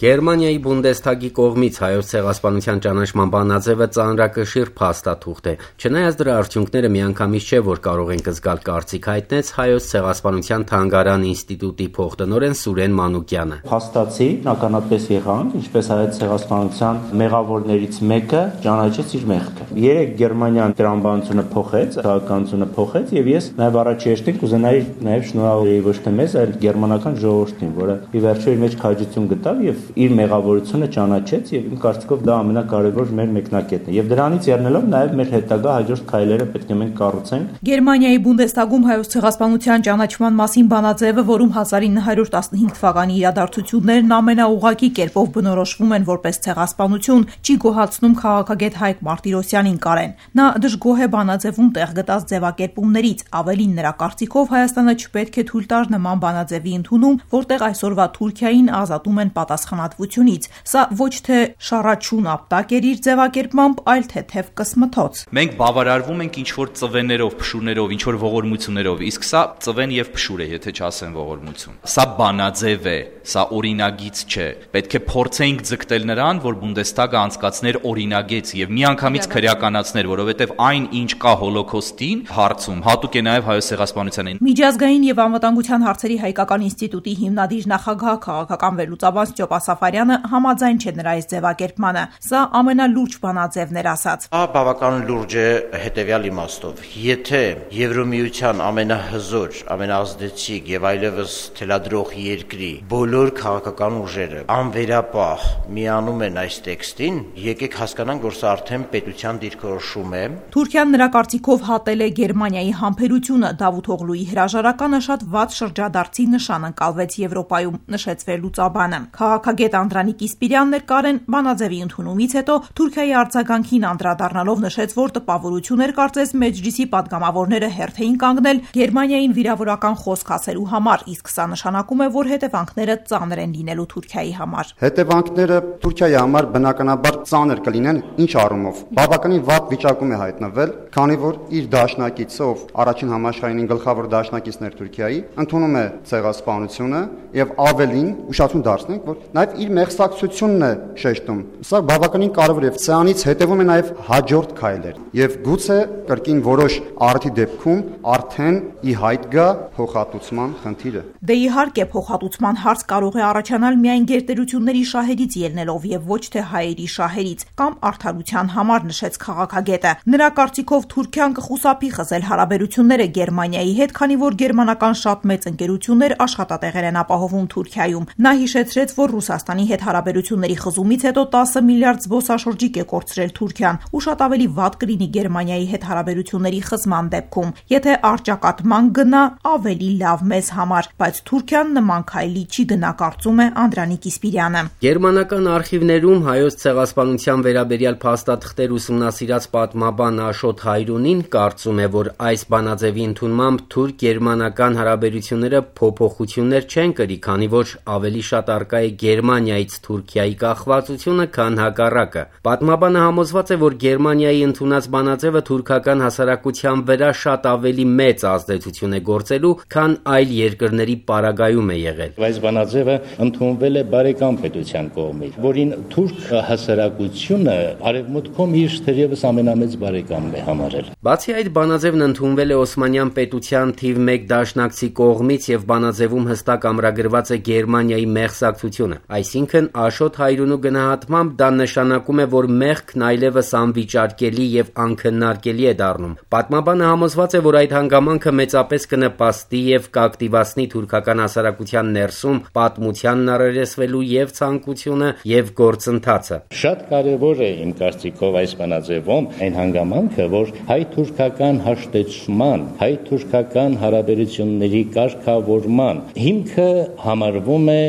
Գերմանիայի Բունդեսթագի կողմից Հայոց ցեղասպանության ճանաչման բանաձևը ծանրակշիռ փաստաթուղթ է։ Չնայած դրա արդյունքները միանգամից չէ, որ կարող ենք զգալ կարծիք հայտնեց Հայոց ցեղասպանության թանգարան ինստիտուտի փոխտնօրեն Սուրեն Մանուկյանը։ Փաստացի ականատես եղանք, ինչպես Հայոց ցեղասպանության մեղավորներից մեկը ճանաչեց իր մեղքը։ Երեք Գերմանիան տրամաբանությունը փոխեց, քաղաքականությունը փոխեց, եւ ես նաեւ առաջի հերթին կուզենայի նաեւ շնորհավորեի ոչ թե մեզ, այլ գերմանական ժողովրդին, որը ի վերջո իր մեջ քաջություն գտավ եւ իր մեղավորությունը ճանաչեց եւ իմ կարծիքով դա ամենակարևոր մեր մեկնակետն է եւ դրանից ելնելով նաեւ մեր հետագա հաջորդ քայլերը պետք է մենք կառուցենք։ Գերմանիայի Բունդեսթագում Հայոց ցեղասպանության ճանաչման մասին բանաձևը, որում 1915 թվականի իրադարձություններն ամենաուղղակի կերպով բնորոշվում են որպես ցեղասպանություն, չի գոհացնում քաղաքագետ Հայկ Մարտիրոսյանին Կարեն։ Նա դժգոհ է բանաձևում տեղ գտած ձևակերպումներից, ավելին նրա կարծիքով Հայաստանը չպետք է թույլ տար նման բանաձևի ընդունում, որտեղ այսօրվա Թուրքիային ազատում են պատասխանատվությունից։ Սա ոչ թե շառաչուն ապտակ էր իր ձևակերպմամբ, այլ թեթև կսմթոց։ Մենք բավարարվում ենք ինչ-որ ծվեներով, փշուրներով, ինչ-որ ողորմություններով, իսկ սա ծվեն եւ փշուր է, եթե չասեն ողորմություն։ Սա բանաձև է, սա օրինագիծ չէ։ Պետք է փորձենք ձգտել նրան, որ Բունդեսթագը անցկացներ օրինագիծ եւ միանգամից քրեականացներ, որովհետեւ այն, ինչ կա հոլոկոստին հարցում, հատուկ է նաեւ Հայոց ցեղասպանությանին։ Միջազգային եւ անվտանգության հարցերի հայկական ինստիտուտի հիմնադիր նախագահ քաղաքական վերլուծաբան Ստյոպա Սաֆարյանը համաձայն չէ նրա այս ձևակերպմանը։ Սա ամենալուրջ բանաձևն էր ասած։ Բավական լուրջ է հետեւյալ իմաստով։ Եթե Եվրոմիության ամենահզոր, ամենաազդեցիկ եւ այլևս թելադրող երկրի բոլոր քաղաքական ուժերը անվերապահ միանում են այս տեքստին, եկեք հասկանանք, որ սա արդեն պետության դիրքորոշում է։ Թուրքիան նրա կարծիքով հատել է Գերմանիայի համբերությունը։ Դավութ Օղլուի հրաժարականը շատ վատ շրջադարձի նշան ընկալվեց Եվրոպայում, նշեց վերլուծաբանը։ Քաղաքագետ Անդրանիկ Իսպիրյանն էր Կարեն բանաձևի ընդունումից հետո Թուրքիայի արձագանքին անդրադառնալով նշեց, որ տպավորություն էր կարծես Մեջլիսի падգամավորները հերթ էին կանգնել Գերմանիային վիրավորական խոսք ասելու համար, իսկ սա նշանակում է, որ հետևանքները ծանր են լինելու Թուրքիայի համար։ Հետևանքները Թուրքիայի համար բնականաբար ծանր կլինեն, ինչ առումով։ Բավականին վատ վիճակում է հայտնվել, քանի որ իր դաշնակիցը, ով առաջին համաշխարհային գլխավոր դաշնակիցն էր Թուրքիայի, ընդունում է ցեղասպանությունը եւ ավելին ուշադրություն դարձնենք, որ նաեւ իր մեղսակցությունն է շեշտում։ Սա բավականին կարևոր է, սրանից հետևում է նաեւ հաջորդ քայլեր եւ գուցե կրկին որոշ արդի դեպքում արդեն ի հայտ գա փոխհատուցման խնդիրը։ Դե իհարկե փոխհատուցման հարց կարող է առաջանալ միայն գերտերությունների շահերից ելնելով եւ ոչ թե հայերի շահերից կամ արդարության համար, նշեց քաղաքագետը։ Նրա կարծիքով Թուրքիան կխուսափի խզել հարաբերությունները Գերմանիայի հետ, քանի որ գերմանական շատ մեծ ընկերություններ աշխատատեղեր են ապահովում Թուրքիայում։ Նա հիշեցրեց, որ Ռուսաստանի հետ հարաբերությունների խզումից հետո 10 միլիարդ զբոսաշրջիկ է կորցրել Թուրքիան, ու շատ ավելի վատ կլինի Գերմանիայի հետ հարաբերությունների խզման դեպքում, եթե առճակատման գնա ավելի լավ մեզ համար, բայց Թուրքիան նման քայլի չի գնա, կարծում է Անդրանիկ Իսպիրյանը։ Գերմանական արխիվներում Հայոց ցեղասպանության վերաբերյալ փաստաթղթեր ուսումնասիրած պատմաբան Աշոտ Հայրունին կարծում է, որ այս բանաձևի ընդունմամբ թուրք-գերմանական հարաբերությունները փոփոխություններ չեն կրի, քանի որ ավելի շատ առկա է Գերմանիայից Թուրքիայի կախվածությունը, քան հակառակը։ Պատմաբանը համոզված է, որ Գերմանիայի ընդունած բանաձևը թուրքական հասարակության վրա շատ ավելի մեծ ազդեցություն է գործելու, քան այլ երկրների պարագայում է եղել։ Այս բանաձևը ընդունվել է բարեկամ պետության կողմից, որին թուրք հասարակությունը արևմուտքում իր թերևս ամենամեծ բարեկամն է համարել։ Բացի այդ, բանաձևն ընդունվել է Օսմանյան պետության թիվ 1 դաշնակցի կողմից եւ բանաձևում հստակ ամրագրված է Գերմանիայի մեղսակցությունը։ Այսինքն Աշոտ Հայրունու գնահատմամբ դա նշանակում է, որ մեղքն այլևս անվիճարկելի եւ անքննարկելի է դառնում։ Պատմաբանը համոզված է, որ այդ հանգամանքը մեծապես կնպաստի եւ կակտիվացնի թուրքական հասարակության ներսում պատմությանն առերեսվելու եւ ցանկությունը եւ գործընթացը։ Շատ կարևոր է իմ կարծիքով այս բանաձևում այն հանգամանքը, որ հայ-թուրքական հաշտեցման, հայ-թուրքական հարաբերությունների կարգավորման հիմքը համարվում է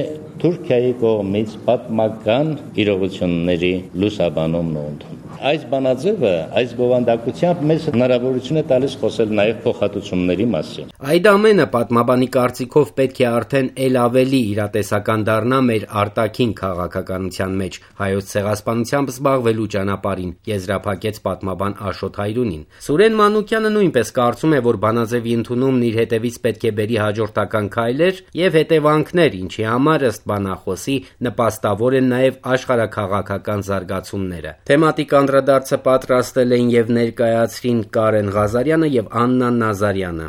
Թուրքիայի կողմից պատմական իրողությունների լուսաբանումն ու ընդունումը։ Այս բանաձևը, այս բովանդակությամբ մեզ հնարավորություն է տալիս խոսել նաև փոխհատուցումների մասին։ Այդ ամենը պատմաբանի կարծիքով պետք է արդեն ել ավելի իրատեսական դառնա մեր արտաքին քաղաքականության մեջ Հայոց ցեղասպանությամբ զբաղվելու ճանապարհին, եզրափակեց պատմաբան Աշոտ Հայրունին։ Սուրեն Մանուկյանը նույնպես կարծում է, որ բանաձևի ընդունումն իր հետևից պետք է բերի հաջորդական քայլեր եւ հետևանքներ, ինչի համար ըստ բանախոսի նպաստավոր են նաև աշխարհաքաղաքական զարգացումները։ Թեմատիկ անդրադարձը պատրաստել էին եւ ներկայացրին Կարեն Ղազարյանը եւ Աննա Նազարյանը։